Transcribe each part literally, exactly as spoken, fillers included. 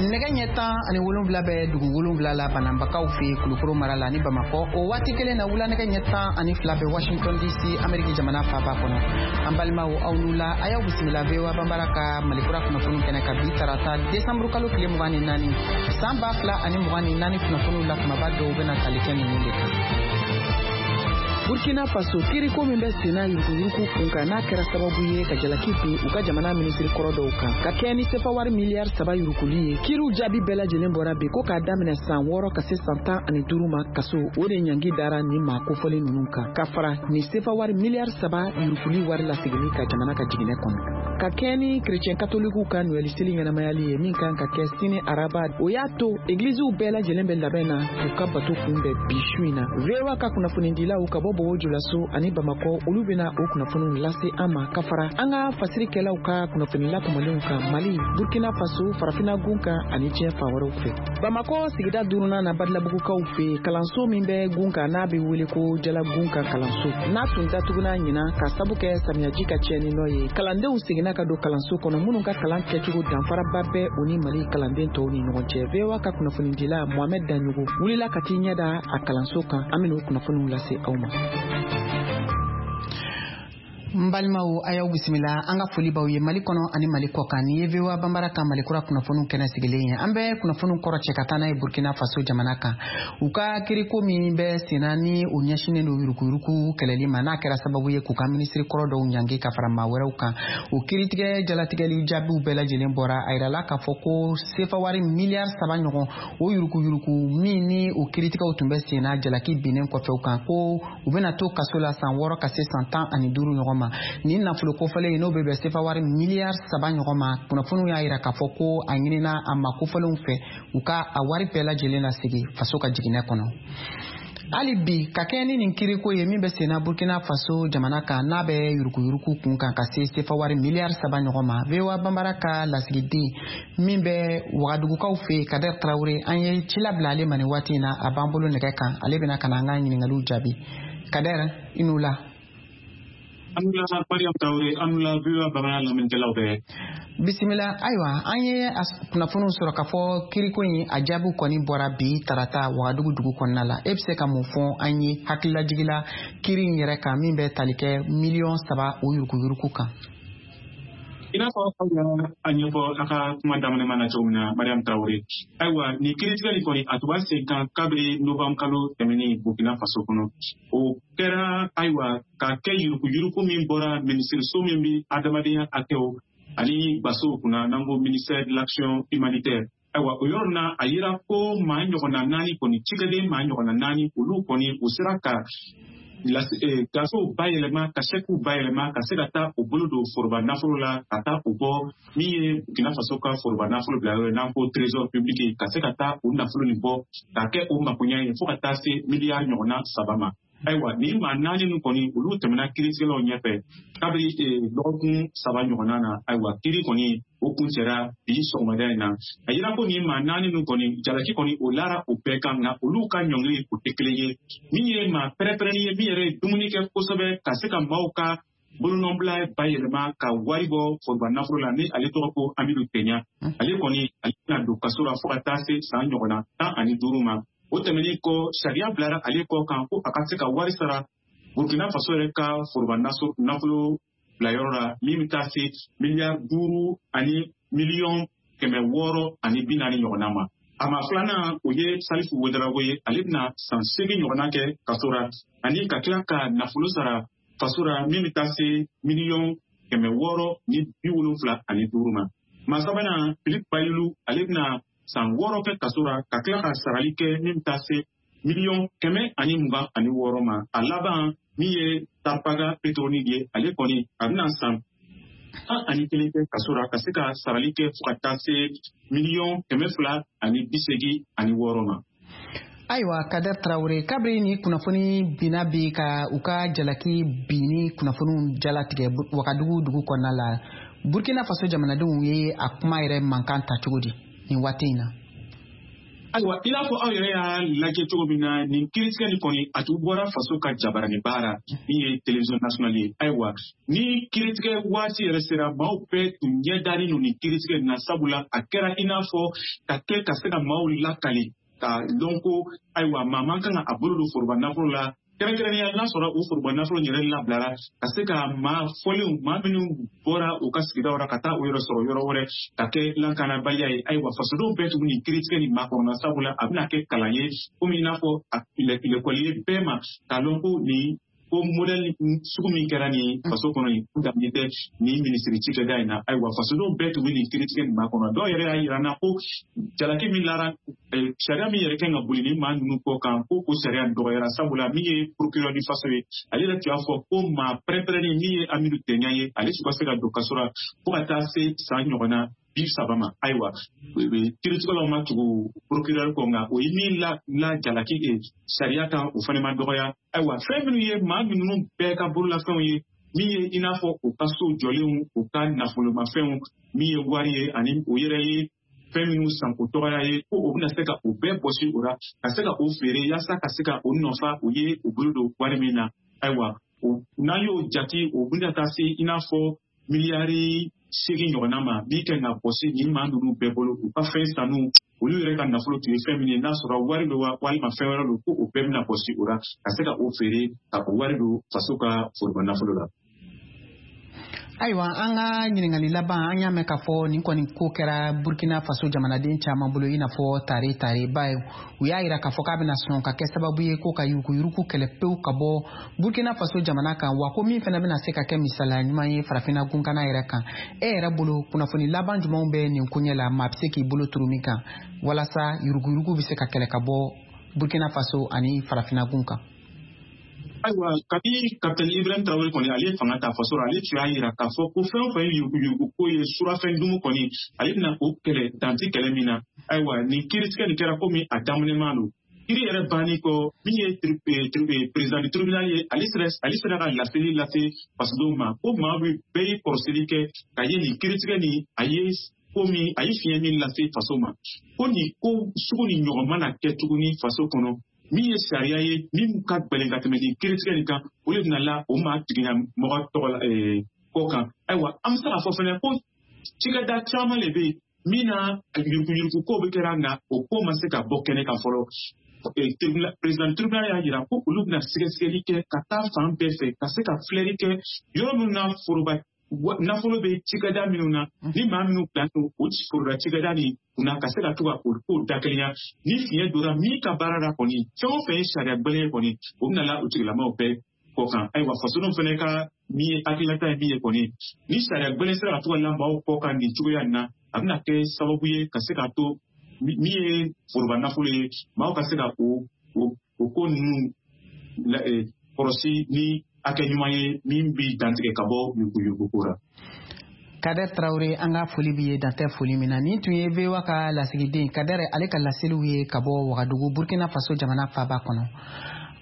Nɛgɛ ɲɛ tan ani wolonwula bɛ dugu wolonwula la Bananbakaw fɛ Kulukoro mara la ni Bamakɔ. O waati kelen na, wula nɛgɛ ɲɛ tan ani fila bɛ Washington D C, Ameriki jamana faaba kɔnɔ. An balimaw, aw n'u la, a y'aw bisimila V O A Banbara ka Malikura kunnafoniw kɛnɛ kan bi tarata, desanburu kalo tile mugan ni naani, san ba fila ani mugan ni naani. Kunnafoniw la kumaba dɔw bɛna tali kɛ ninnu de kan: Burkina Faso, kiriko min bɛ senna yuruguyurugu kun kan, n'a kɛra sababu ye ka jalaki bin u ka jamana minisiri kɔrɔ dɔw kan ka kɛɲɛ ni sefa wari miliyari saba yuruguli ye, kiriw jaabi bɛɛ lajɛlen bɔra bi ko k'a daminɛ san wɔɔrɔ ka se san tan ani duuru ma kaso, o de ɲangi dara nin maa kofɔlen ninnu kan, ka fara nin sefa wari miliyari saba yuruguli wari laseginni ka jamana ka jiginɛ kɔnɔ. Ka kɛɲɛ ni kerecɛn katolikiw ka Noɛli seli ɲɛnamayali ye min kan ka kɛ sini araba, o y'a to egiliziw bɛɛ lajɛlen bɛ labɛn na k'u ka bato kunbɛn bi su in na. V O A ka kunnafonidilaw ka bɔ Bobo Julaso ani Bamakɔ, olu bena o kunnafoniw lase an ma, ka fara an ka fasirikɛlaw ka kunnafoni latɔmɔlenw kan Mali, Burkina Faso, Farafina gun kan ani diɲɛ fan wɛrɛw fɛ. Bamakɔ sigida duurunan na, Badilabugukaw fɛ, kalanso min bɛ gun kan n'a bɛ wele ko Jalagun kan kalanso, n'a tun datuguna ɲinan ka sabu kɛ samiyaji ka tiɲɛni nɔ ye, kalandenw seginna ka don kalanso kɔnɔ minnu ka kalan kɛcogo danfaraba bɛ u ni Mali kalanden tɔw ni ɲɔgɔn cɛ. V O A ka kunnafonidila Mohamɛd Daɲogo wulila ka t'i ɲɛ da a kalanso kan. An bɛn'o kunnafoniw lase aw ma. N balimaw, a y'aw bisimila. An ka foli b'aw ye Mali kɔnɔ ani Mali kɔ kan. Nin ye V O A Banbara ka Malikura kunnafoniw kɛnɛ sigilen ye. An bɛ kunnafoniw kɔrɔ cɛ ka taa n'a ye Burkina Faso jamana kan. U ka kiriko min bɛ senna ni o ɲɛsinnen don yuruguyurugu kɛlɛli ma, n'a kɛra sababu ye k'u ka minisiri kɔrɔ dɔw ɲangi ka fara maa wɛrɛw kan, o kiritigɛ jalatigɛli jaabiw bɛɛ lajɛlen bɔra. A yirala k'a fɔ ko sefa wari miliyari saba ɲɔgɔn, o yuruguyurugu min ni o kiritigɛw tun bɛ senna, jalaki binnen kɔfɛ u kan ko u bɛna to kaso la san wɔɔrɔ ka se san tan ani duuru ɲɔgɔn ma. Nin nafolo kofɔlen n'o bɛ bɛn sefa wari miliyari saba ɲɔgɔn ma, kunnafoniw y'a yira k'a fɔ ko a ɲinina a ma kofɔlenw fɛ u ka a wari bɛɛ lajɛlen lasegin faso ka jiginɛ kɔnɔ. Hali bi, ka kɛɲɛ ni nin kiriko ye min bɛ senna Burkina Faso jamana kan, n'a bɛ yuruguyurugu kun kan ka se sefa wari miliyari saba ɲɔgɔn ma, V O A Banbara ka lasigiden min bɛ Wagadugukaw fɛ, Kader Tarawele, an ye cila bila ale ma nin waati in na. A b'an bolo nɛgɛ kan, ale bɛna ka na an ka ɲininkaliw jaabi. Kader, i n'u la. An la Mariam Traoré, an la V O A bamanan lamɛnnikɛlaw bɛɛ. Bisimila. Ayiwa, an ye kunnafoniw sɔrɔ k'a fɔ kiriko in a jaabiw kɔni bɔra bi tarata Wagadugu dugu kɔnɔna la. E bɛ se ka mun fɔ an ye hakililajigila kiri in yɛrɛ kan min bɛ tali kɛ miliyɔn saba o yuruguyurugu kan? I n'a fɔ aw y'a a ɲɛfɔ a ka kuma daminɛ na cogo min na, Mariam Traoré, ayiwa, nin kiiritigɛli kɔni a tun b'a sen kan kabiri novembre kalo tɛmɛnen Burkina Faso kɔnɔ. O kɛra, ayiwa, ka kɛ yuruguyurugu min bɔra minisiriso min bɛ adamadenya hakɛw ani basow kunna, n'an ko ministère de l'Action humanitaire. Ayiwa, o yɔrɔ na, a yira ko maa ɲɔgɔnna naani kɔni, cikɛden maa ɲɔgɔnna naani, olu kɔni u sera ka gafew bayɛlɛma, ka sɛkiw bayɛlɛma, ka se ka taa u bolo don foroba nafolo la, ka taa u bɔ min ye Burkina Faso ka foroba nafolo bila yɔrɔ ye n'an ko Trésor public, ka se ka taa u nafolo nin bɔ ka kɛ o makoɲɛ ye fo ka taa se miliyari ɲɔgɔnna saba ma. Ayiwa, nin maa naani ninnu kɔni, olu tɛmɛna kiiritigɛlaw ɲɛfɛ kabiri dɔgɔkun saba ɲɔgɔnna na. Ayiwa, kiiri kɔni o kun cɛra bi sɔgɔmada in na. A yira ko nin maa naani ninnu kɔni, jalaki kɔni o lara o bɛɛ kan, nka olu ka ɲɔngiri o tɛ kelen ye. Min ye maa pɛrɛpɛrɛnni ye, min yɛrɛ ye dumuni kɛ kosɛbɛ ka se ka maaw ka bolonɔbila bayɛlɛma ka wari bɔ foroba nafolo la, ni ale tɔgɔ ko Amidu Tɛɲa, ale kɔni ale bɛna don kaso la fo ka taa se san ɲɔgɔnna tan ani duuru ma. O tɛmɛnen kɔ, sariya bilara ale kɔ kan ko a ka se ka wari sara Burkina Faso yɛrɛ ka foroba nafolo bilayɔrɔ la min bɛ taa se miliyari duuru ani miliyɔn kɛmɛ wɔɔrɔ ani bi naani ɲɔgɔnna ma. A maa filanan, o ye Salifu Wedarago ye. Ale bɛna san seegin ɲɔgɔnna kɛ kaso la ani ka tila ka nafolo sara faso la min bɛ taa se miliyɔn kɛmɛ wɔɔrɔ ni bi wolonfila ani duuru ma. Maa sabanan, Philippe Bayilu, ale bɛna san wɔɔrɔ kɛ kaso la ka tila ka sarali kɛ min bɛ taa se miliyɔn kɛmɛ ani mugan ani wɔɔrɔ ma. A laban, min ye Tarpaga Petroni ye, ale kɔni a bɛna san tan ani kelen kɛ kaso la ka se ka sarali kɛ fo ka taa se miliyɔn kɛmɛ fila ani bi seegin ani wɔɔrɔ ma. Ayiwa, Kader Tarawele, kabiri ni kunnafoni binna bi ka u ka jalaki binni kunnafoniw jalatigɛ Wagadugu dugu kɔnɔna la, Burkina Faso jamanadenw ye a kuma yɛrɛ mankan ta cogo di nin waati in na? Ayiwa, i n'a fɔ aw yɛrɛ y'a lajɛ cogo min na, nin kiiritigɛ nin kɔni, a tun bɔra faso ka jabarani baara min ye télévision nationale ye. Ayiwa, ni kiiritigɛ waati yɛrɛ sera, maaw bɛɛ tun ɲɛ dalen don nin kiiritigɛ nin na, sabula a kɛra i n'a fɔ ka kɛ ka se ka maaw lakali ka dɔn ko ayiwa, maa man kan ka a bolo don foroba nafolo la, kɛrɛnkɛrɛnnenya n'a sɔrɔ o foroba nafolo yɛrɛ labilara ka se ka maa fɔlenw, maa minnu bɔra u ka sigidaw la ka taa u yɛrɛ sɔrɔ yɔrɔ wɛrɛ, ka kɛ lakanabaliya ye. Ayiwa, fasodenw bɛɛ tun nin kiiritigɛ nin makɔnɔna, sabula a bɛna kɛ kalan ye, komi i n'a fɔ lekɔli ye bɛɛ ma k'a dɔn ko nin ko modɛli sugu min kɛra nin faso kɔnɔ nin daminɛ tɛ nin minisiri cikɛda in na. Ayiwa, fasodenw bɛɛ tun bɛ nin kiiritigɛ nin makɔnɔ. Dɔw yɛrɛ y'a yira n na ko jalaki min lara, sariya min yɛrɛ kan ka boli ni maa ninnu kɔ kan, ko o sariya dɔgɔyara, sabula min ye procureur du faso ye, ale yɛrɛ tun y'a fɔ ko maa pɛrɛn-pɛrɛnni min ye Amidu Tɛɲa ye, ale tun ka se ka don kaso la fo ka taa se san ɲɔgɔnna bi saba ma. Ayiwa, kiiritigɛlaw ma tugu procureur kɔ, nka o ye min la la jalaki sariya kan, o fana ma dɔgɔya. Ayiwa, fɛn minnu ye maa minnu bɛɛ ka bololafɛnw ye, min ye i n'a fɔ u ka so jɔlenw, u ka nafolomafɛnw, min ye wari ye, ani o yɛrɛ ye fɛn minnu san o tɔgɔya ye, ko o bɛna se ka o bɛɛ bɔsi o la ka se ka o feere yaasa ka se ka o nɔfa o ye o bolo don wari min na. Ayiwa, n'an y'o jate, o bɛna taa se i n'a fɔ miliyari seegin ɲɔgɔnna ma, min kɛ ka bɔsi nin maa ninnu bɛɛ bolo, u ka fɛn sanu, olu yɛrɛ ka nafolo tun ye fɛn min ye, n'a sɔrɔ wari don walima fɛn wɛrɛ don, ko o bɛɛ bɛna bɔsi o la ka se ka o feere ka o wari don faso ka foroba nafolo la. Ayiwa, an ka ɲininkali laban, an y'a mɛn k'a fɔ nin kɔni ko kɛra Burkina Faso jamanaden caman bolo i n'a fɔ tare tare ba ye. U y'a yira k'a fɔ k'a bɛna sɔn ka kɛ sababu ye ko ka yuruguyurugu kɛlɛ pewu ka bɔ Burkina Faso jamana kan, wa ko min fana bɛna se ka kɛ misaliya ɲuman ye farafinna gunkana yɛrɛ kan. E yɛrɛ bolo, kunnafoni laban jumɛnw bɛ nin koɲɛ la, maa bɛ se k'i bolo turu min kan walasa yuruguyurugu bɛ se ka kɛlɛ ka bɔ Burkina Faso ani farafinna gun kan? Ayiwa, kabi kapitɛni Ibrahim Traoré kɔni ale ye fanga ta faso la, ale tun y'a yira k'a fɔ ko fɛn o fɛn ye yuruguyurugu ko ye, surafɛn dumu kɔni, ale bɛna o kɛlɛ danti kɛlɛ min na. Ayiwa, nin kiiritigɛ nin kɛra komi a daminɛman don. Kiiri yɛrɛ banni kɔ, min ye président du tribunal ye, ale sera ale sera ka laseli lase fasodenw ma ko maa bɛ bɛɛ ye kɔrɔsili kɛ ka ye nin kiiritigɛ nin a ye ko min a ye fiɲɛ min lase faso ma, ko nin ko sugu nin ɲɔgɔn mana kɛ tuguni faso kɔnɔ, min ye sariya ye min ka gɛlɛn ka tɛmɛ nin kiiritigɛ nin kan, o de bɛna la o maa tigilamɔgɔ tɔgɔ la kɔ kan. Ayiwa, an bɛ se k'a fɔ fɛnɛ ko cikɛda caman de bɛ yen min na yuruguyurugu ko bɛ kɛra, nka o ko ma se ka bɔ kɛnɛ kan fɔlɔ. Président tribunal y'a jira ko olu bɛna sɛgɛsɛgɛli kɛ ka taa fan bɛɛ fɛ ka se ka filɛli kɛ yɔrɔ minnu na foroba nafolo bɛ cikɛda minnu na, ni maa minnu bila o foroba cikɛda nin kunna, ka se ka to ka o kow dakelenya. Ni fiɲɛ donna min ka baara la kɔni, fɛn o fɛn ye sariya gɛlɛn ye kɔni, o bɛna la o tigilamaaw bɛɛ kɔ kan. Ayiwa, fasodenw fana ka min ye hakilinata ye min ye kɔni, ni sariya gɛlɛn sera ka to ka la maaw kɔ kan nin cogoya in na, a bɛna kɛ sababu ye ka se k'a to min ye foroba nafolo ye, maaw ka se ka o o ko ninnu kɔlɔsi ni hakɛ ɲuman ye min bi dantigɛ ka bɔ yuruguyurugu ko la. Kader Traoré, an ka foli b'i ye dantɛ foli min na. Nin tun ye V O A ka lasigiden Kader, ale ka laseliw ye ka bɔ Wagadugu, Burkina Faso jamana faaba kɔnɔ.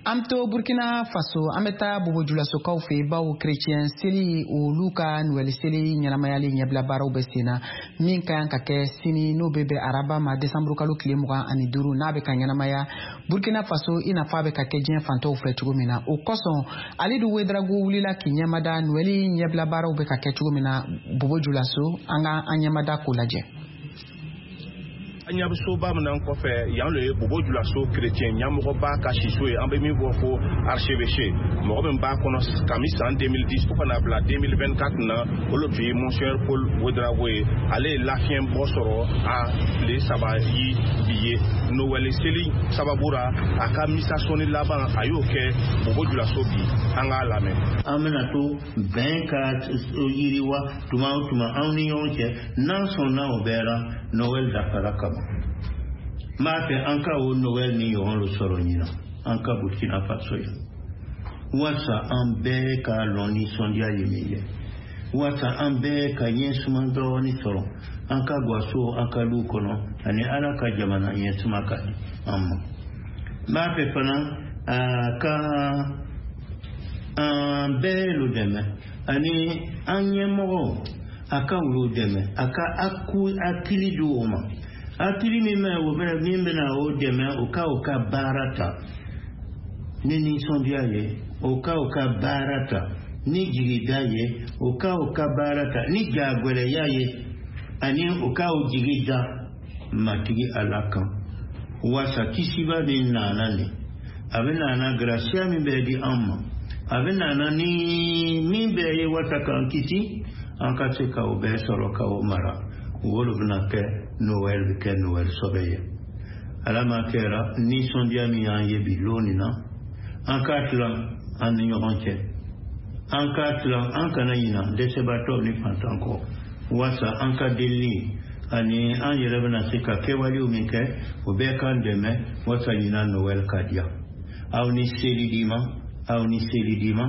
An to Burkina Faso, an bɛ taa Bobojulasokaw fɛ yen, bawo kerecɛn seli, olu ka Noɛli seli ɲɛnamayali ɲɛbila baaraw bɛ sen na, min ka kan ka kɛ sini, n'o bɛ bɛn araba ma desanburu kalo tile mugan ani duuru, n'a bɛ ka ɲɛnamaya Burkina Faso i n'a fɔ a bɛ ka kɛ diɲɛ fantɔw fɛ cogo min na. O kosɔn, Alidu Wedrago wulila k'i ɲɛmada Noɛli ɲɛbila baaraw bɛ ka kɛ cogo min na Bobojulaso. An ka an ɲɛmada k'o lajɛ. An ɲɛ bɛ soba min na kɔfɛ yan, le ye Bobojulaso chrétien ɲɛmɔgɔba ka siso ye, an bɛ min fɔ ko archevêché. Mɔgɔ min b'a kɔnɔ kami san deux mille dix fo ka na bila deux mille vingt-quatre na, o le tun ye Monseigneur Paul Ouedraogo ye. Ale ye lafiɲɛ bɔ sɔrɔ a tile saba yi bi ye Noël seli sababu ra, a ka misa sɔnni laban a y'o kɛ Bobojulaso bi. An k'a lamɛn. An bɛna to bɛn ka yiriwa tuma o tuma anw ni ɲɔgɔn cɛ, n'an sɔnna o bɛɛ la, Noël dafara ka ban. N b'a fɛ an ka o Noël ni ɲɔgɔn dɔ sɔrɔ ɲinan an ka Burkina Faso yan, walasa an bɛɛ ka lɔn nisɔndiya ye min ye, walasa an bɛɛ ka ɲɛsuma dɔɔni sɔrɔ an ka gaso an ka du kɔnɔ, ani Ala ka jamana ɲɛsuma ka di an ma. N b'a fɛ fana a ka an bɛɛ lo dɛmɛ, ani an ɲɛmɔgɔw a ka olu dɛmɛ, a ka hakili di o ma, Hakili min bɛ o bɛna min bɛna o dɛmɛ o ka o ka baara ta ni nisɔndiya ye, o ka o ka baara ta ni jigida ye, o ka o ka baara ta ni jagɛlɛya ye, ani o ka o jigi da Matigi Ala kan. Wasa kisiba min nana nin, a bɛ nana grasiya min bɛ di an ma, a bɛ nana ni min bɛɛ ye wasa k'an kisi, an ka se ka o bɛɛ sɔrɔ ka o mara. O de bɛna kɛ Noël bɛ kɛ Noël sɔbɛ ye. Ala ma kɛra nisɔndiya min y'an ye bi lon nin na, an k'a tilan an ni ɲɔgɔn cɛ, an k'a tilan, an kana ɲina dɛsɛbaatɔw ni fantan kɔ, wasa an ka delili ani an yɛrɛ bɛna se ka kɛwalew min kɛ, o bɛɛ k'an dɛmɛ wasa ɲina Noël ka diya. Aw ni seli d'i ma, aw ni seli d'i ma.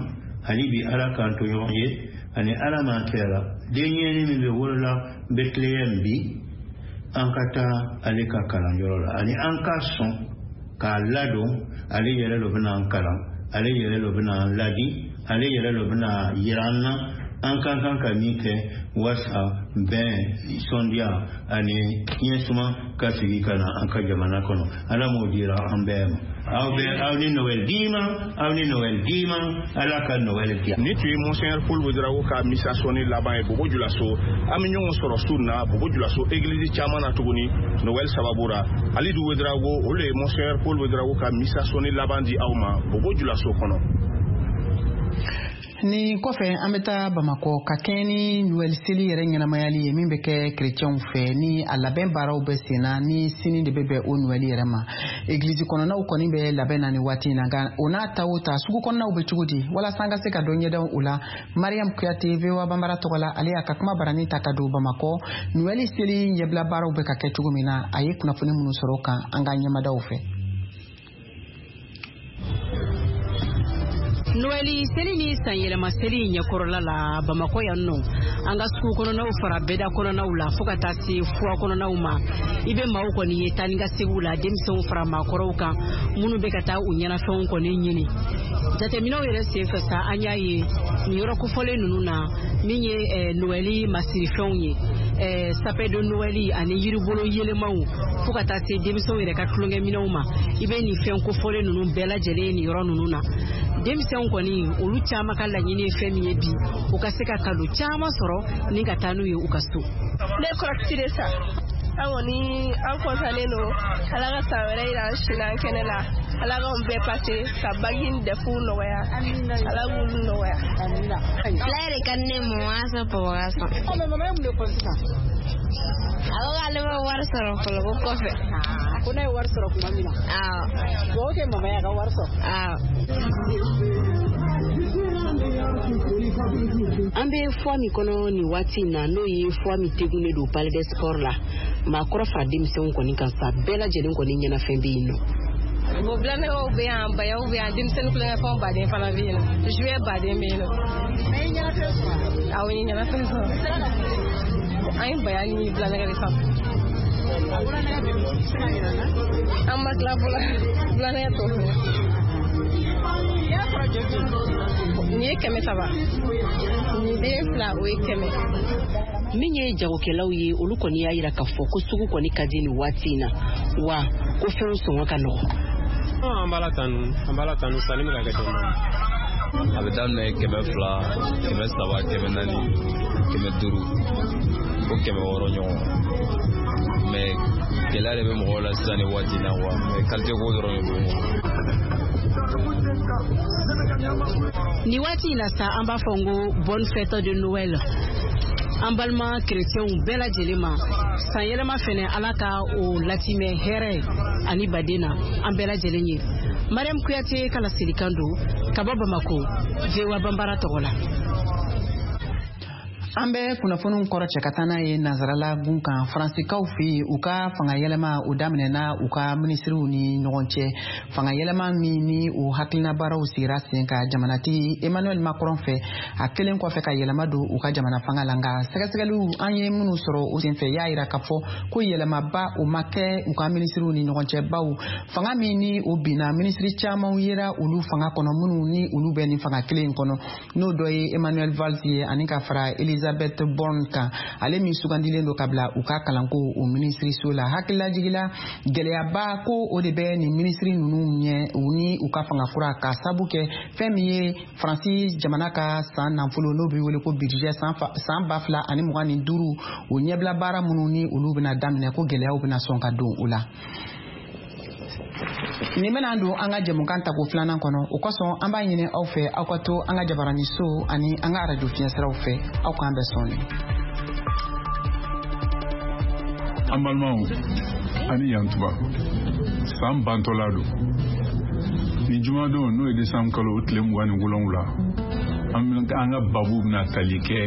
Hali bi Ala k'an to ɲɔgɔn ye, ani Ala m'an kɛra denɲɛnin min bɛ wolola Bethléem bi, an ka taa ale ka kalanyɔrɔ la, ani an ka sɔn k'a ladon. Ale yɛrɛ de bɛna an kalan, ale yɛrɛ de bɛna an ladi, ale yɛrɛ de bɛna yira an na an ka kan ka min kɛ wasa bɛn, nisɔndiya ani ɲɛsuma ka sigi ka na an ka jamana kɔnɔ. Ala m'o dira an bɛɛ ma. Aw bɛ aw ni Noël d'i ma, aw ni Noël d'i ma, Ala ka Noël diya. Ni tun ye Monseigneur Paul Ouedraogo ka misa sɔnni laban ye Bobo Julaso. An bɛ ɲɔgɔn sɔrɔ su na Bobo Julaso église caman na tuguni Noël sababu ra. Alidu Ouedraogo, o le ye Monseigneur Paul Ouedraogo ka misa sɔnni laban di aw ma Bobo Julaso kɔnɔ. Ni kɔfɛ an bɛ taa Bamakɔ ka kɛɲɛ ni Noël seli yɛrɛ ɲɛnamayali ye min bɛ kɛ kerecɛnw fɛ, ni a labɛn baaraw bɛ sen na, ni sini de bɛ bɛn o Noël yɛrɛ ma. Egilizi kɔnɔnaw kɔni bɛ labɛn na ni waati in na, nka o n'a ta o ta sugu kɔnɔnaw bɛ cogo di? Walasa an ka se ka dɔ ɲɛdɔn o la, Mariam Kuyate V O A Banbara tɔgɔ la, ale y'a ka kuma barani ta ka don Bamakɔ Noël seli ɲɛbila baaraw bɛ ka kɛ cogo min na, a ye kunnafoni minnu sɔrɔ o kan an ka ɲɛmadaw fɛ. Noël seli ni san yɛlɛma seli ɲɛkɔrɔla la Bamakɔ yan nɔ, an ka sugu kɔnɔnaw fara bɛda kɔnɔnaw la fo ka taa se fura kɔnɔnaw ma, i bɛ maaw kɔni ye taa ni ka segiw la, denmisɛnw fara maakɔrɔw kan minnu bɛ ka taa u ɲɛnafɛnw kɔni ɲini. Jateminɛw yɛrɛ senfɛ sa, an y'a ye nin yɔrɔ kofɔlen ninnu na min ye Noël masirifɛnw ye, sapin de Noël ani yiribolo yɛlɛmaw fo ka taa se denmisɛnw yɛrɛ ka tulonkɛminɛnw ma, i bɛ nin fɛn kofɔlen ninnu bɛɛ lajɛlen ye nin yɔrɔ ninnu na. Denmisɛnw kɔni olu caman ka laɲini ye fɛn min ye bi, u ka se ka kado caman sɔrɔ ni ka taa n'u ye u ka so. Ne kɔrɔkisi de sa, an kɔni an kɔntannen don, Ala ka san wɛrɛ yira an si n'an kɛnɛ la, Ala k'anw bɛɛ pase ka bagi ni dɛfuw nɔgɔya, Ala k'olu nɔgɔya. Fila yɛrɛ ka di ne ma, o y'a sɔrɔ papa ka sɔn. Ɔ mɛ mama ye mun de fɔ sisan? A ko k'ale ma wari sɔrɔ fɔlɔ ko kɔfɛ. Ko n'a ye wari sɔrɔ tuma min na. Awɔ. Dugawu kɛ mama ye a ka wari sɔrɔ. Awɔ. An bɛ fura min kɔnɔ nin waati in na, n'o ye fura min tegunnen don Palais des Sports la, maakɔrɔ fara denmisɛnw kɔni kan sa, bɛɛ lajɛlen kɔni ɲɛnafɛn bɛ yen nɔ. Bon, bilanɛgɛw bɛ yan, bayaw bɛ yan, denmisɛnnin tulonkɛfɛnw baden fana bɛ yen nɔ, jouet baden bɛ yen nɔ. Mais i ye ɲɛnafɛn sɔrɔ? Awɔ, n ye ɲɛnafɛn sɔrɔ. An ye baya ni bilanɛgɛ de san. An ma tila fɔlɔ, bilanɛgɛ tɔ fɛnɛ. Nin ye kɛmɛ saba, nin den fila o ye kɛmɛ. Min ye jagokɛlaw ye, olu kɔni y'a yira k'a fɔ ko sugu kɔni ka di nin waati in na, wa ko fɛnw sɔngɔ ka nɔgɔn. An b'a la tanu, an b'a la tanu, sanni bɛ ka kɛ dɔɔnin dɔɔnin. A bɛ daminɛ kɛmɛ fila, kɛmɛ saba, kɛmɛ naani, kɛmɛ duuru, fo kɛmɛ wɔɔrɔ ɲɔgɔn. Mais gɛlɛya de bɛ mɔgɔw la sisan nin waati in na quoi, mais qualité ko dɔrɔn de don. Nin waati in na sa, an b'a fɔ n ko bonne fête de Noël an balima kerecɛnw bɛɛ lajɛlen ma. San yɛlɛma fɛnɛ, Ala ka o latimɛ hɛrɛ ani baden na an bɛɛ lajɛlen ye. Mariam Kuyate ka laselikan don ka bɔ Bamakɔ, V O A Banbara tɔgɔ la. An bɛ kunnafoniw kɔrɔ cɛ ka taa n'a ye nansarala gun kan. Faransikaw fɛ yen, u ka fanga yɛlɛma o daminɛna u ka minisiriw ni ɲɔgɔn cɛ. Fanga yɛlɛma min ni o hakilina baaraw sigira sen kan jamanatigi Emmanuel Macron fɛ, a kelen kɔfɛ ka yɛlɛma don u ka jamana fanga la. Nka sɛgɛsɛgɛliw an ye minnu sɔrɔ o senfɛ y'a yira k'a fɔ ko yɛlɛmaba o ma kɛ u ka minisiriw ni ɲɔgɔn cɛ, bawo fanga min ni o binna, minisiri camanw yera olu fanga kɔnɔ minnu ni olu bɛ nin fanga kelen in kɔnɔ, n'o dɔ ye Emmanuel Valls ye ani ka fara Elisabeth Elisabeth Borne kan, ale min sugandilen don ka bila u ka kalanko o minisiriso la. Hakililajigila gɛlɛyaba ko o de bɛ nin minisiri ninnu ɲɛ u ni u ka fanga kura, ka sabu kɛ fɛn min ye Faransi jamana ka san nafolo n'o bɛ wele ko budget san ba fila ani mugan ni duuru, o ɲɛbila baara minnu ni olu bɛna daminɛ, ko gɛlɛyaw bɛna sɔn ka don o la. Nin bɛna don an ka jɛmukan tako filanan kɔnɔ, o kosɔn an b'a ɲini aw fɛ aw ka to an ka jabaraniso ani an ka arajo fiɲɛsiraw fɛ. Aw k'an bɛn sɔɔni. An balimaw, ani yantuba, san bantɔla don. Nin jumadon n'o ye desanburu kalo tile mugan ni wolonwula, an ka babu bɛna tali kɛ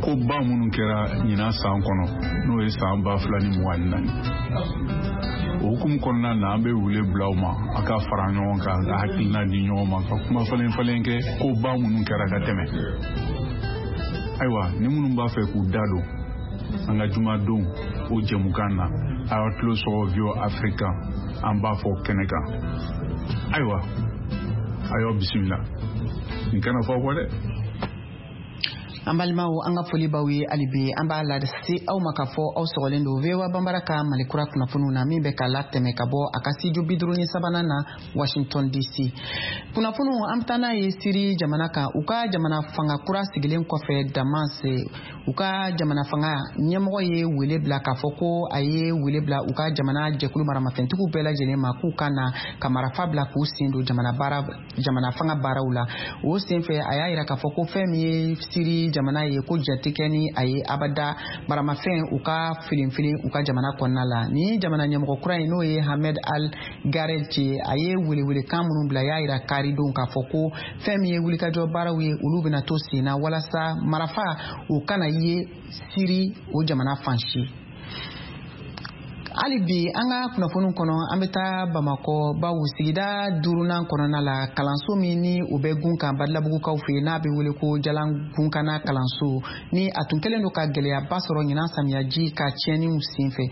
koba minnu kɛra ɲinan san kɔnɔ, n'o ye san ba fila ni mugan ni naani. O hukumu kɔnɔna na, an bɛ wele bila aw ma a ka fara ɲɔgɔn kan, ka hakilina di ɲɔgɔn ma, ka kuma falen falen kɛ koba minnu kɛra ka tɛmɛ. Ayiwa, ni minnu b'a fɛ k'u da don an ka jumadon o jɛmukan na, a y'aw tulo sɔgɔ V O A Afrique, an b'a fɔ kɛnɛ kan. Ayiwa, a y'aw bisimila. Nin kana fɔ aw kɔ dɛ. An balimaw, an ka foli b'aw ye hali bi. An b'a lase aw ma k'a fɔ aw sɔgɔlen don V O A Banbara ka Mali kura kunnafoniw na, min bɛ ka latɛmɛ ka bɔ a ka studio bi duuru ni sabanan na Washington D C. Kunnafoniw, an bɛ taa n'a ye Siri jamana kan. U ka jamana fanga kura sigilen kɔfɛ Damas, u ka jamana fanga ɲɛmɔgɔ ye wele bila k'a fɔ ko a ye wele bila u ka jamana jɛkulu maramafɛntigiw bɛɛ lajɛlen ma k'u ka na ka marafa bila k'u sen don jamana baara jamana fanga baaraw la. O senfɛ, a y'a yira k'a fɔ ko fɛn min ye Siri jamana ye, ko jate kɛ ni a ye abada maramafɛn u ka filenfilen u ka jamana kɔnɔna la. Ni jamana ɲɛmɔgɔ kura in, n'o ye Hamed Al Gareth ye, a ye welewelekan minnu bila, y'a yira karidon k'a fɔ ko fɛn min ye wulikajɔ baaraw ye, olu bɛna to sen na walasa marafa u kana ye Siri o jamana fan si. Hali bi an ka kunnafoniw kɔnɔ, an bɛ taa Bamakɔ, bawo sigida duurunan kɔnɔna la, kalanso min ni o bɛ gun kan Badilabugukaw fɛ yen, n'a bɛ wele ko Jalangunkana kalanso, ni a tun kɛlen don ka gɛlɛyaba sɔrɔ ɲinan samiyaji ka tiɲɛniw senfɛ.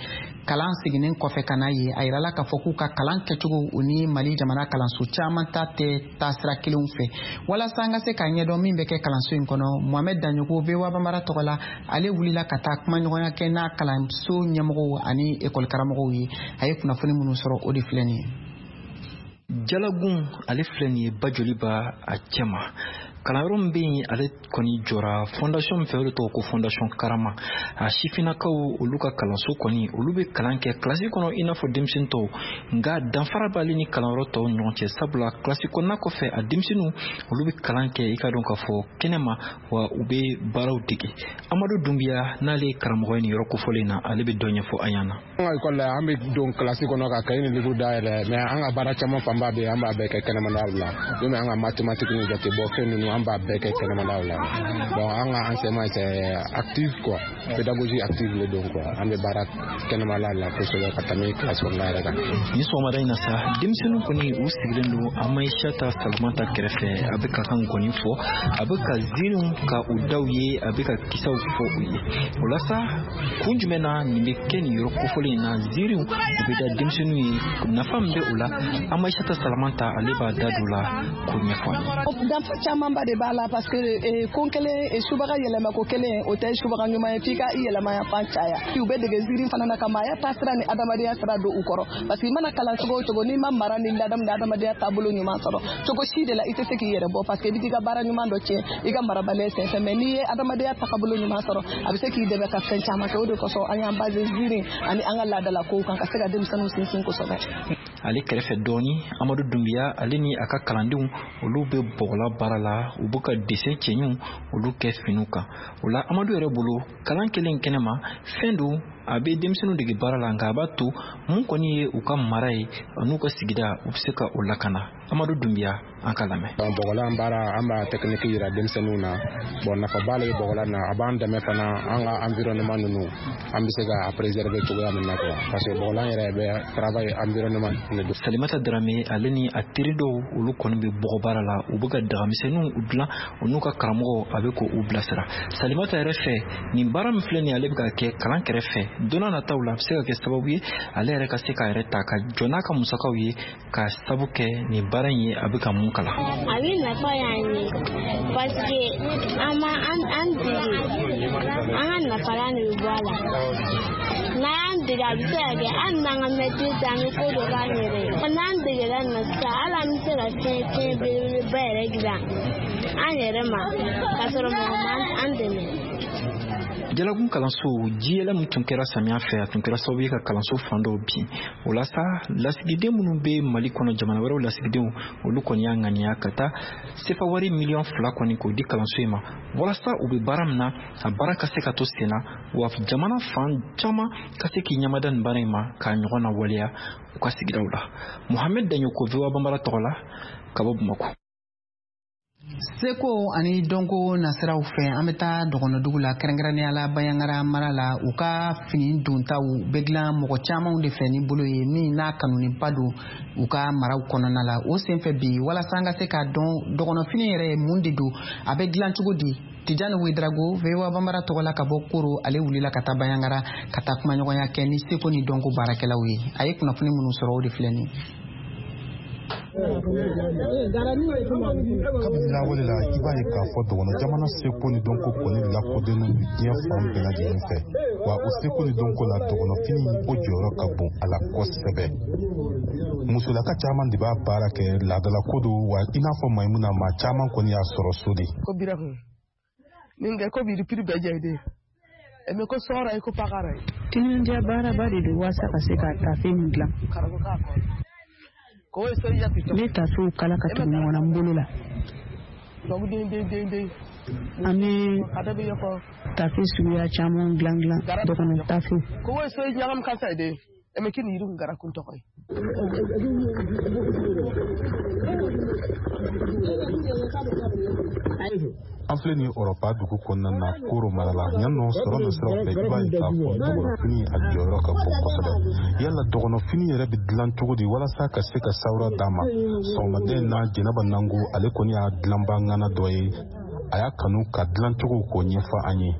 Kalan seginnen kɔfɛ ka n'a ye, a yirala k'a fɔ k'u ka kalan kɛcogo o ni Mali jamana kalanso caman ta tɛ taasira kelenw fɛ. Walasa an ka se k'a ɲɛdɔn min bɛ kɛ kalanso in kɔnɔ, Mohamed Daɲogo V O A Banbara tɔgɔ la, ale wulila ka taa kumaɲɔgɔnya kɛ n'a kalanso ɲɛmɔgɔw ani ekɔli karamɔgɔw ye. A ye kunnafoni minnu sɔrɔ, o de filɛ nin ye. Jalagun ale filɛ nin ye Bajoliba a cɛma. Kalanyɔrɔ min bɛ yen, ale kɔni jɔra fondation min fɛ, o de tɔgɔ ko fondation Karama. A sifinnakaw olu ka kalanso kɔni, olu bɛ kalan kɛ kilasi kɔnɔ i n'a fɔ denmisɛnnin tɔw, nka danfara b'ale ni kalanyɔrɔ tɔw ni ɲɔgɔn cɛ, sabula kilasi kɔnɔna kɔfɛ a denmisɛnninw olu bɛ kalan kɛ i ka dɔn k'a fɔ kɛnɛma, wa u bɛ baaraw dege. Amadu Dunbiya n'ale ye karamɔgɔ ye nin yɔrɔ kofɔlen na, ale bɛ dɔ ɲɛfɔ an ɲɛna. An ka ekɔli la, an bɛ don kilasi kɔnɔ ka kaye ni livre dayɛlɛ, mais an ka baara caman fanba bɛ yen, an b'a bɛɛ kɛ kɛnɛmana la. Komi an ka mathématique ni jate bɔ fɛn ninnu, an b'a bɛɛ kɛ kɛnɛmanaw la. Bon, an ka enseignement c'est actif quoi, pédagogie active le don quoi. An bɛ baara kɛnɛmana la kosɛbɛ ka tɛmɛ kilasi kɔnɔna yɛrɛ kan. Nin sɔgɔmada in na sa, denmisɛnninw kɔni u sigilen don Amayisata Salamata kɛrɛfɛ, a bɛ ka ka nkɔni fɔ, a bɛ ka ziiriw ka u daw ye, a bɛ ka kisaw fɔ u ye. O la sa, kun jumɛn na nin bɛ kɛ nin yɔrɔ kofɔlen in na, ziiriw u bɛ da denmisɛnninw ye, nafa min bɛ o la, Amayisata Salamata ale b'a da don la k'o ɲɛfɔ an ye. Danfa camanba de b'a la, parce que ko kelen subaga yɛlɛma ko kelen o tɛ subaga ɲuman ye, f'i ka i yɛlɛma fan caya. U bɛ dege ziiri fana na ka maaya taasira ni adamadenya sira don u kɔrɔ, parce que i mana kalan cogo o cogo, n'i ma mara ni ladamu ni adamadenya taabolo ɲuman sɔrɔ cogo si de la, i tɛ se k'i yɛrɛ bɔ, parce que i bɛ t'i ka baara ɲuman dɔ tiɲɛ i ka marabaliya senfɛ. Mais n'i ye adamadenya taabolo ɲuman sɔrɔ, a bɛ se k'i dɛmɛ ka fɛn caman kɛ. O de kosɔn an y'an base ziiri ani an ka laadalakow kan ka se ka denmisɛnninw sinsin kosɛbɛ. Ale kɛrɛfɛ dɔɔni, Amadu Dunbiya ale ni a ka kalandenw olu bɛ bɔgɔla baara la, u bɛ ka dessin cɛɲiw olu kɛ finiw kan. O la Amadu yɛrɛ bolo, kalan kɛlen kɛnɛma fɛn don a bɛ denmisɛnninw dege baara la, nka a b'a to mun kɔni ye u ka mara ye n'u ka sigida, u bɛ se ka o lakana. Amadu Dunbiya, an ka lamɛn. Bɔgɔlan baara, an b'a technique yira denmisɛnninw na. Bon, nafaba le ye bɔgɔlan na, a b'an dɛmɛ fana an ka environnement ninnu, an bɛ se ka préserver cogoya min na quoi, parce que bɔgɔlan yɛrɛ bɛ travail environnement de don. Salimata Darame ale ni a teri dɔw olu kɔni bɛ bɔgɔ baara la, u bɛ ka dagamisɛnninw dilan, u n'u ka karamɔgɔ a bɛ k'u bilasira. Salimata yɛrɛ fɛ, nin baara min filɛ nin ye, ale bɛ ka kɛ kalan kɛrɛfɛ, don n'a nataw la a bɛ se ka kɛ sababu ye ale yɛrɛ ka se k'a yɛrɛ ta ka jɔ n'a ka musakaw ye, ka sabu kɛ nin baara in ye a bɛ ka mun kalan. A bɛ nafa y'an ye parce que an ma an dege an ka nafalan de bɛ bɔ a la. N'an y'an dege a bɛ se ka kɛ hali n'an ka mɛtiri tɛ an bɛ ko dɔ k'an yɛrɛ ye. N'an degera nin na sisan hali an bɛ se ka fɛn fɛn belebeleba yɛrɛ dilan an yɛrɛ ma k'a sɔrɔ mɔgɔ ma an dɛmɛ. Jalagun kalanso jiyɛlɛ min tun kɛra samiya fɛ, a tun kɛra sababu ye ka kalanso fan dɔw bin. O la sa, lasigiden minnu bɛ Mali kɔnɔ, jamana wɛrɛw lasigidenw, olu kɔni y'a ŋaniya ka taa sefa wari miliyɔn fila kɔni k'o di kalanso in ma, walasa u bɛ baara min na, a baara ka se ka to sen na, wa jamana fan caman ka se k'i ɲɛmada nin baara in ma k'a ɲɔgɔn na waleya u ka sigidaw la. Mohamed Daɲoko, V O A Banbara tɔgɔ la, ka bɔ Bamakɔ. Seko ani dɔnko nasiraw fɛ, an bɛ taa dɔgɔnɔdugu la, kɛrɛnkɛrɛnnenya la Bayangara mara la. U ka fini dontaw bɛ dilan mɔgɔ camanw de fɛ ni bolo ye min n'a kanuniba don u ka maraw kɔnɔna la. O senfɛ bi, walasa an ka se k'a dɔn dɔgɔnɔfini yɛrɛ ye mun de don, a bɛ dilan cogo di, Tijani Wedrago, V O A Banbara tɔgɔ la ka bɔ Koro, ale wulila ka taa Bayangara ka taa kumaɲɔgɔnya kɛ ni seko ni dɔnko baarakɛlaw ye. A ye kunnafoni minnu sɔrɔ, o de filɛ nin ye. Kabini lawale la, i b'a ye k'a fɔ dɔgɔnɔ jamana seko ni dɔnko kɔni lakodɔnnen don diɲɛ fan bɛɛ lajɛlen fɛ. Wa o seko ni dɔnko la, dɔgɔnɔfini o jɔyɔrɔ ka bon a la kosɛbɛ. Musolaka caman de b'a baara kɛ, laadalako don, wa i n'a fɔ Mayimuna, maa caman kɔni y'a sɔrɔ so de. Ko birakun min kɛ ko biri piri bɛɛ jɛ de mɛ ko sɔrɔ ye ko pakara ye. Timinandiya baaraba de don walasa ka se ka tafe nin dilan. Ne tafew kala ka tugu ɲɔgɔn na n bolo la. An bɛ tafe suguya caman dilan dilan, dɔgɔnɔ tafew. An filɛ nin Ɔrɔpa dugu kɔnɔna na, Koro mara la. Yan nɔ sɔrɔ na siraw fɛ, i b'a ye k'a fɔ dɔgɔnɔfini a jɔyɔrɔ ka bon kosɛbɛ. Yala dɔgɔnɔfini yɛrɛ bɛ dilan cogo di walasa ka se ka sawura d'a ma? Sɔgɔmaden in na, Jɛnɛba Nango, ale kɔni y'a dilanba ŋana dɔ ye. A y'a kanu ka dilan cogo k'o ɲɛfɔ an ye.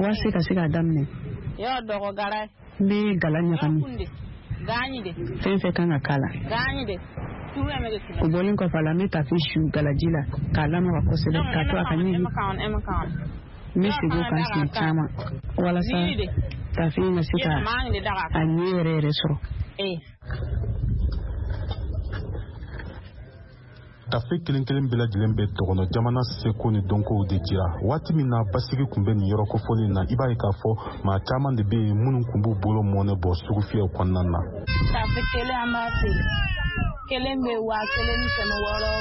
Walasa ka se k'a daminɛ, n bɛ gala ɲagami, fɛn fɛn kan ka k'a la. O bɔlen kɔfɛ a la, n bɛ tafe su galaji la k'a lamaga kosɛbɛ k'a to a ka ɲigin. N bɛ segin o kan siɲɛ caman walasa tafe in ka se ka a ɲɛ yɛrɛ yɛrɛ sɔrɔ. Tafe kelen kelen bɛɛ lajɛlen bɛ dɔgɔnɔ jamana seko ni dɔnkow de jira. Waati min na basigi tun bɛ nin yɔrɔ kofɔlen na, i b'a ye k'a fɔ maa caman de bɛ yen minnu tun b'u bolo mɔnɛ bɔ sugufiyɛw kɔnɔna na. Tafe kelen an b'a feere, kelen bɛ waa kelen ni kɛmɛ wɔɔrɔ,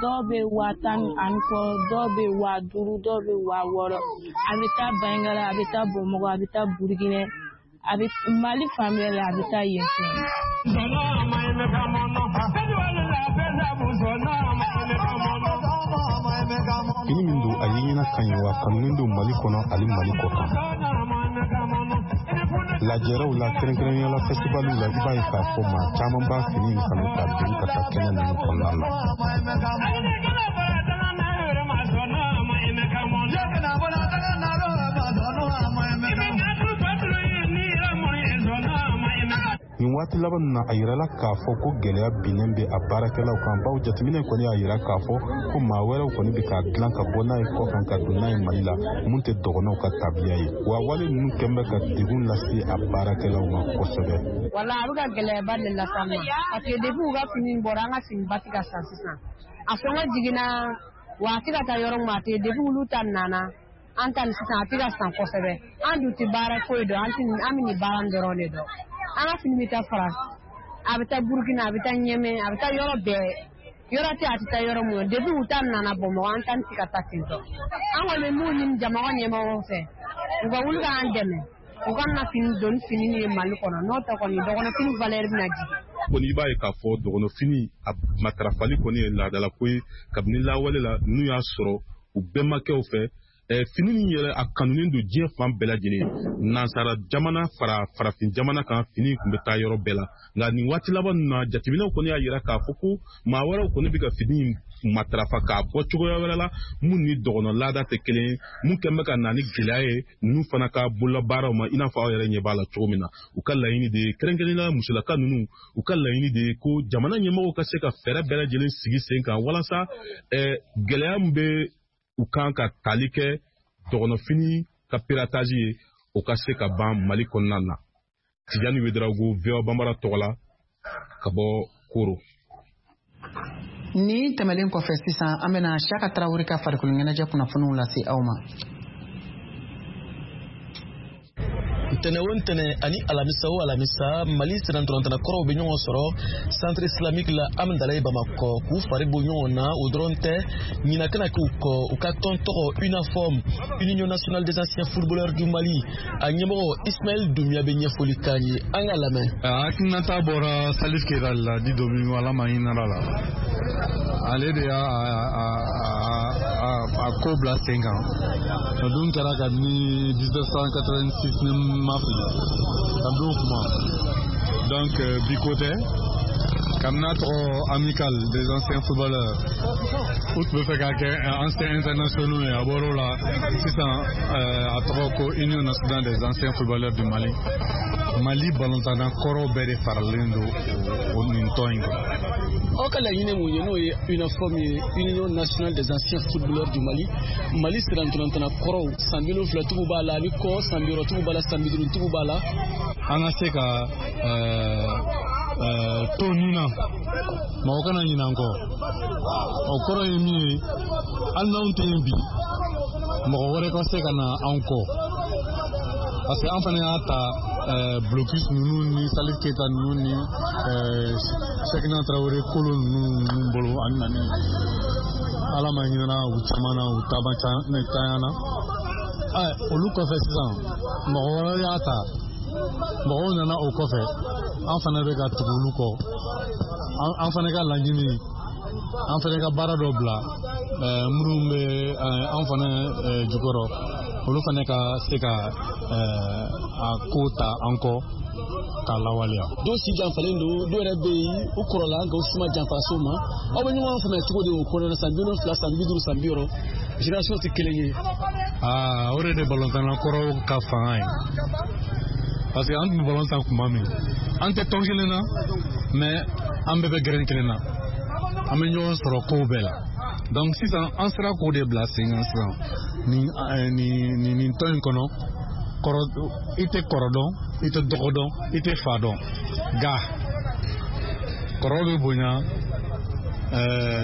dɔw bɛ waa tan ani kɔ, dɔw bɛ waa duuru, dɔw bɛ waa wɔɔrɔ. A bɛ taa Bayangara, a bɛ taa Bamakɔ, a bɛ taa Burukina, a bɛ Mali fan bɛɛ la, a bɛ taa yen fɛ. Fini min don, a ye ɲɛna ka ɲi, wa kanunen don Mali kɔnɔ ani Mali kɔ kan. Lajɛrɛw la, kɛrɛnkɛrɛnnenya la fɛsibaliw la, i b'a ye k'a fɔ maa caman b'a fini in kanu ka don ka taa kɛnɛ ninnu kɔnɔna na. Nin waati laban na, a yirala k'a fɔ ko gɛlɛya binnen bɛ a baarakɛlaw kan, bawo jateminɛ kɔni y'a yira k'a fɔ ko maa wɛrɛw kɔni bɛ k'a dilan ka bɔ n'a ye kɔkan ka don n'a ye Mali la, mun tɛ dɔgɔnɔw ka tabiya ye. Wa wale ninnu kɛn bɛ ka degun lase a baarakɛlaw ma kosɛbɛ. Wala a bɛ ka gɛlɛyaba de las'an ma, parce que depuis u ka fini bɔra, an ka fini ba tɛ ka san sisan. A sɔngɔ jiginna, wa a tɛ ka taa yɔrɔ min a tɛ, depuis olu ta nana an ta nin sisan a tɛ ka san kosɛbɛ. An dun tɛ baara foyi dɔn, an tɛ an bɛ nin baara in dɔrɔn de dɔn. An ka fini bɛ taa Faransi, a bɛ taa Burukina, a bɛ taa Ɲɛmɛ, a bɛ taa yɔrɔ bɛɛ. Yɔrɔ tɛ a tɛ taa yɔrɔ mun na, depuis u ta nana Bamakɔ, an ta tɛ ka taa ten tɔ. An kɔni bɛ mun ɲini jamana ɲɛmɔgɔw fɛ, u ka wuli k'an dɛmɛ, u ka na fini don fini ye Mali kɔnɔ, n'o tɛ kɔni dɔgɔnɔfini valeur bɛna jigin. Kɔni i b'a ye k'a fɔ dɔgɔnɔfini a matarafali kɔni ye laadalako ye kabini lawale la, n'u y'a sɔrɔ u bɛnbakɛw fɛ. Fini min yɛrɛ a kanunen don diɲɛ fan bɛɛ lajɛlen, nansara jamana fara farafin jamana kan, fini tun bɛ taa yɔrɔ bɛɛ la. Nka nin waati laban ninnu na, jateminɛw kɔni y'a yira k'a fɔ ko maa wɛrɛw kɔni bɛ ka fini matarafa k'a bɔ cogoya wɛrɛ la mun ni dɔgɔnɔ laada tɛ kelen ye, mun kɛn bɛ ka na ni gɛlɛya ye ninnu fana ka bololabaaraw ma, i n'a fɔ aw yɛrɛ ɲɛ b'a la cogo min na. U ka laɲini de ye, kɛrɛnkɛrɛnnenya la musolaka ninnu, u ka laɲini de ye ko jamana ɲɛmɔgɔw ka se ka fɛɛrɛ bɛɛ lajɛlen sigi sen kan walasa gɛlɛya min bɛ u kan ka tali kɛ dɔgɔnɔfini ka piratage ye, o ka se ka ban Mali kɔnɔna na. Tijani Wederago, V O A Bambara tɔgɔ la ka bɔ Koro. Ni tɛmɛlen kɔfɛ sisan, an bɛna Siyaka Tarawele ka farikolo ɲɛnajɛ kunnafoniw lase aw ma. Ntɛnɛ o ntɛnɛ ani alamisa o alamisa, Mali sennantolatan kɔrɔw bɛ ɲɔgɔn sɔrɔ centre islamique la Amidalayi Bamakɔ k'u fari bɔ ɲɔgɔn na. O dɔrɔn tɛ, ɲinan kana k'u kɔ, u ka tɔn tɔgɔ UNAFOM, Union nationale des anciens footballeurs du Mali, a ɲɛmɔgɔ Ismaël Doumbia bɛ ɲɛfɔli k'an ye, an ka lamɛn. Hakilinata bɔra Salif Keita la di Domingo, Ala ma hinɛ la, ale de y'a a ko bila sen kan. O dun kɛra kabini mille neuf cent quatre-vingt-six ni ma fili, kabini o kuma. Donc bi ko tɛ, kabini n'a tɔgɔ Amical des anciens footballeurs, u tun bɛ fɛ k'a kɛ anciens internationaux ye, a bɔr'o la sisan a tɔgɔ ko Union nationale des anciens footballeurs du Mali. Mali balontanna kɔrɔw bɛɛ de faralen don o nin tɔn in kan. Aw ka laɲini mun ye, n'o ye UNAFOM ye, Union nationale des anciens footballeurs du Mali, Mali sennantolatan kɔrɔw, san bi wolonwula tigiw b'a la, ani kɔ san bi wɔɔrɔ tigiw b'a la, san bi duuru tigiw b'a la. An ka se ka to nin na, mɔgɔ kana ɲinɛ an kɔ. O kɔrɔ ye min ye, hali n'anw tɛ yen bi, mɔgɔ wɛrɛ ka se ka na anw kɔ. Parce que an fana y'a ta blocus ninnu ni Salif Keita ninnu ni Cheikhna Traoré Kolo ninnu bolo ani nani. Ala ma hinɛna u caman na, u taama cayana. Olu kɔfɛ sisan, mɔgɔ wɛrɛ y'a ta, mɔgɔw nana o kɔfɛ, an fana bɛ ka tugu olu kɔ. An fana ka laɲini, an fana ka baara dɔ bila minnu bɛ an fana jukɔrɔ, olu fana ka se ka a ko ta an kɔ k'a lawaleya. Dɔw si janfalen don, dɔw yɛrɛ bɛ yen u kɔrɔla nka u si ma janfa s'o ma. Aw bɛ ɲɔgɔn faamuya cogo di o kɔnɔna na, san bi wolonwula, san bi duuru, san bi wɔɔrɔ, génération tɛ kelen ye. Aa, o de de balontanna kɔrɔw ka fanga ye. Parce que an tun bɛ balon tan kuma min, an tɛ tɔn kelen na, mais an bɛɛ bɛ gɛrɛn kelen na, an bɛ ɲɔgɔn sɔrɔ kow bɛɛ la. Donc sisan an sera k'o de bila sen kan sisan nin nin nin tɔn in kɔnɔ. Kɔrɔ, i tɛ kɔrɔ dɔn, i tɛ dɔgɔ dɔn, i tɛ fa dɔn, nka kɔrɔ bɛ bonya,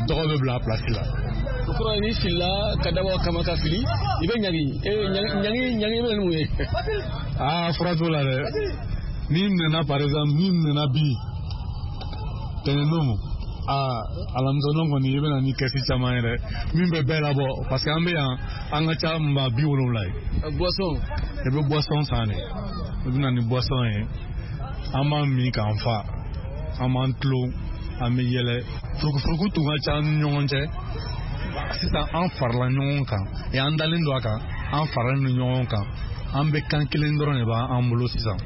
dɔgɔ bɛ bila a place la. O kɔrɔ ye n'i filila ka dabɔ a kama ka fili, i bɛ ɲangi. Ɲangi ɲangi bɛ na ni mun ye? Aa, fura t'o la dɛ. N'i nana par exemple, n'i nana bi tɛnɛndon, aa, alamisadon kɔni i bɛ na ni kɛsi caman ye dɛ, min bɛ bɛɛ labɔ, parce que an bɛ yan, an ka ca maa bi wolonwula ye. Boisson. I bɛ boisson san de, i bɛ na ni boisson ye, an b'an min k'an fa, an b'an tulon, an bɛ yɛlɛ. Furukufuruku tun ka ca an ni ɲɔgɔn cɛ, sisan an farala ɲɔgɔn kan, an dalen don a kan, an faralen don ɲɔgɔn kan, an bɛ kan kelen dɔrɔn de b'an bolo sisan,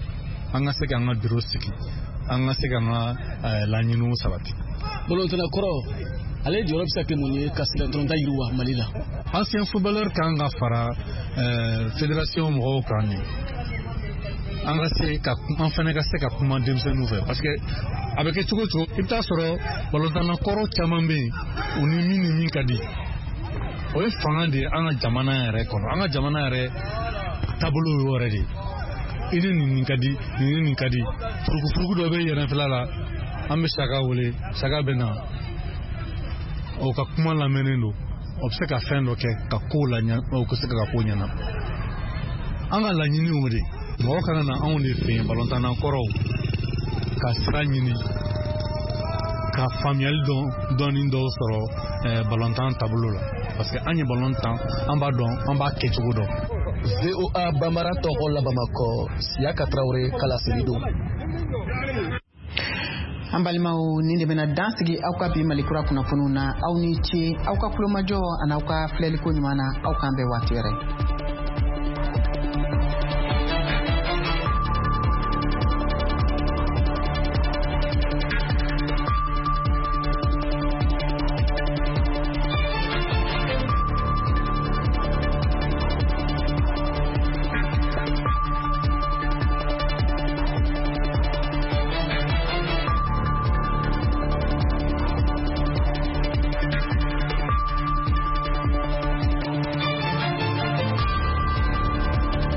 an ka se k'an ka biro sigi, an ka se k'an ka laɲiniw sabati. Balontanna kɔrɔ, ale jɔyɔrɔ bɛ se ka kɛ mun ye ka sennantolatan yiriwa Mali la? Ancien footballeur kan ka fara fédération mɔgɔw kan de, an ka se ka an fana ka se ka kuma denmisɛnninw fɛ, parce que a bɛ kɛ cogo o cogo, i bɛ taa sɔrɔ balontanna kɔrɔ caman bɛ yen, u ni min ni min ka di, o ye fanga de ye an ka jamana yɛrɛ kɔnɔ. An ka jamana yɛrɛ taabolo y'o yɛrɛ de ye. I ni nin nin ka di, nin ni nin ka di, furukufuruku dɔ bɛ yɛrɛfɛla la, an bɛ Saka wele, Saka bɛ na, o ka kuma lamɛnnen don, o bɛ se ka fɛn dɔ kɛ ka kow laɲa, o ka se ka ko ɲɛna. An ka laɲini y'o de ye, mɔgɔ kana na anw de fɛ yen balontanna kɔrɔw ka sira ɲini ka faamuyali dɔn dɔɔni dɔw sɔrɔ balontan taabolo la, parce que an ye balon tan, an b'a dɔn, an b'a kɛcogo dɔn. V O A Bambara tɔgɔ la Bamakɔ, Siyaka Tarawele ka laseli don. An balimaw, nin de bɛna dan sigi aw ka bi Mali kura kunnafoniw na. Aw ni ce aw ka kulomajɔ ani aw ka filɛliko ɲuman na. Aw k'an bɛn waati wɛrɛ.